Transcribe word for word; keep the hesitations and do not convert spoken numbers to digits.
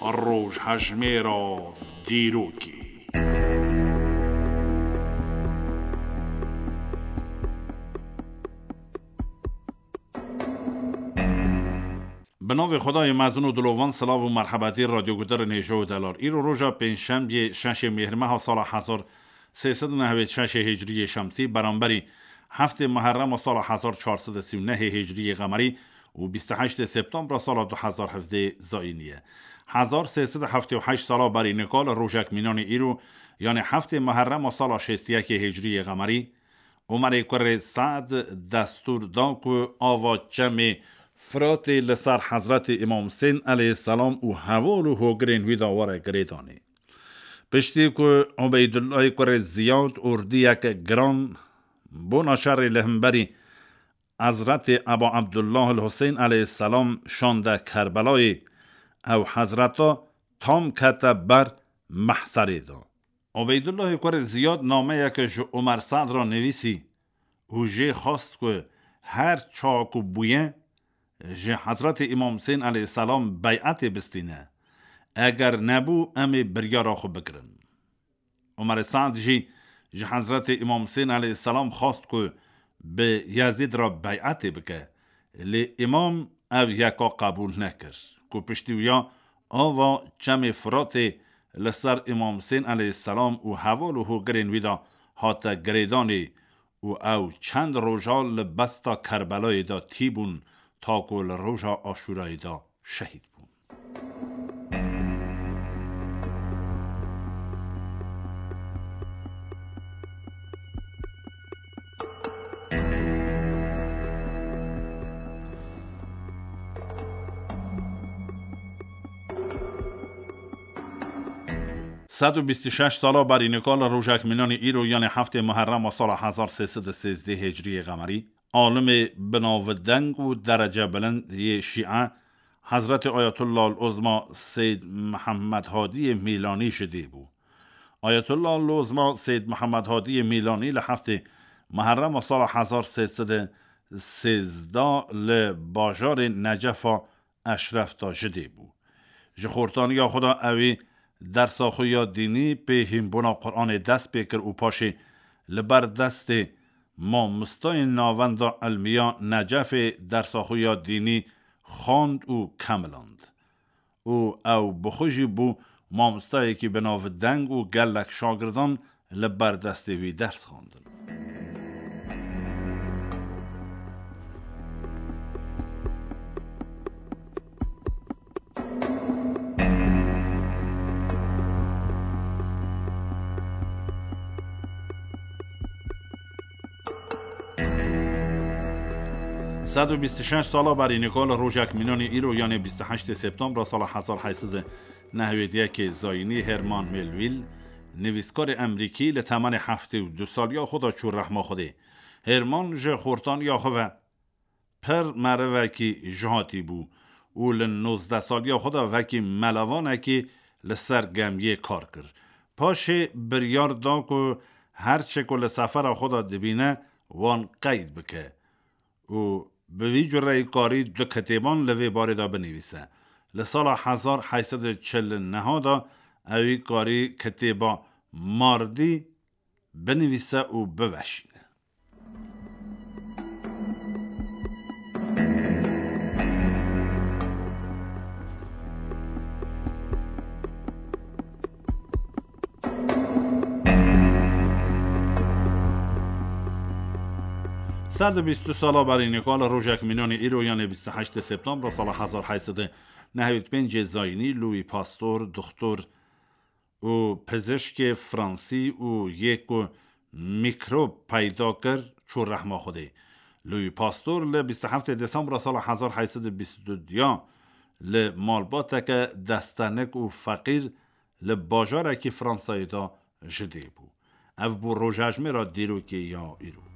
Rojhejmêra dîrokê. Bi navê Xwedayê mezin û dilovan, silav û merhebetî radyoguhdarên hêja û delal. Îro roja pêncşembiyê, şeşê Mêhrmeha sala hezar sê sed û nehwêd şeşê hicriyê şemsî, beramberî heftê Muherrema sala hezar çar sed û sî û nehê hicriyê qemerî û bîst û heştê Septembra sala du hezar hevdê zayînî ye. Hezar sê sed û heftê û heşt sala berî nika li rojek mînanê îro, yanê heftê Muherrema sala şêst û yekê hicriyê qemerî, Omerê kurê Se'd destûr da ku ava çemê Firatê li ser Hezretê Îmam Husên aleyhisselam û heval û hogirên wî de were girêdanê. Piştî ku Ubeydullahê kurê Ziyad ordiyeke giran bona şerê li hemberî Hezretê Eba Ebdullah el Husên aleyhisselam şande Kerbelayê, ew hezreta tam kete ber mehserê de. Ubeydullahê kurê Ziyad nameyeke ji Omer Se'd re nivîsî û jê xwest ku her çawa ku bûye ji Hezretê Îmam Husên aleyhisselam bey'etê bistîne. Eger nebû, em ê biryara xwe bigirin. Omer Se'd jî ji Hezretê Îmam Husên aleyhisselam xwest ku bi Yezîd re bey'etê bike. Lê Îmam ev yeka qebûl nekir. Ku piştî wiya ava çemê Firatê li ser Îmam Husên aleyhisselam û heval û hogirên wî de hate girêdanê û ew çend roja li besta Kerbelayê de tî bûn, ta ku li roja Aşûrayê de şehîd bûn. Sed û bîst û şeş sala berî nika li rojek mînanî îro, yanê heftê Muherrema sala hezar sê sed û sêzdeh hicriyê qemerî, alimê binavdeng û derecebilind yê Şîe, Hezretê Ayetullah el-Uzma Seyd Mihemed Hadiyê Mîlanî ji dê bû. Ayetullah el-Uzma Seyd Mihemed Hadiyê Mîlanî li heftê Muherrema sala hezar sê sed û sêzdeh li bajarê Necefa Eşref de ji dê bû. Ji xortaniya xwe de ewî dersa xwe ya dînî pê hînbûna Quranê dest pê kir û paşê li ber destê mamostayên Navenda Ilmiya Necefê dersa xwe ya dînî xwend û kemiland. Û ew bi xwe jî bû mamostayekî bi navdeng û gelek şagirdan li ber destê wî ders xwendin. Sed û bîst û şeş sala berî nika li rojek mînanî îro, yanê bîst û heştê Septembra sala hezar heyt sed û nehwêd yekê zayînî, Herman Melville, nivîskarê Emerîkî, li temenê heftê û du saliya xwe de çû rehma Xwedê. Herman ji xortaniya xwe ve pir merivekî jihatî bû û li nozdeh saliya xwe de wekî melevanekî li ser gemiyê kar kir. Paşê biryar da ku her çi ku li sefera xwe de dibîne, wan qeyd bike û bi vî cureyî karî du kitêban li vê barê de binivîse. Li sala hezar heyt sed û çil û neh de ewî karî kitêba Mardî binivîse û biveşîne. Sed û bîst û du sala berî nika li rojek mînanî îro, yanê bîst û heştê Septembra sala hezar heyt sed û nehwêd pêncê zayînî, Louis Pasteur, doktor û pizişkê fransî û yê ku mîkrob peyda kir, çû rehma Xwedê. Louis Pasteur li bîst û heftê Desembra sala hezar heyt sed û bîst û du ya li malbateke destenik û feqîr li bajarekî Fransayê de ji dê bû. Ev bû rojhejmêra dîrokê ya îro.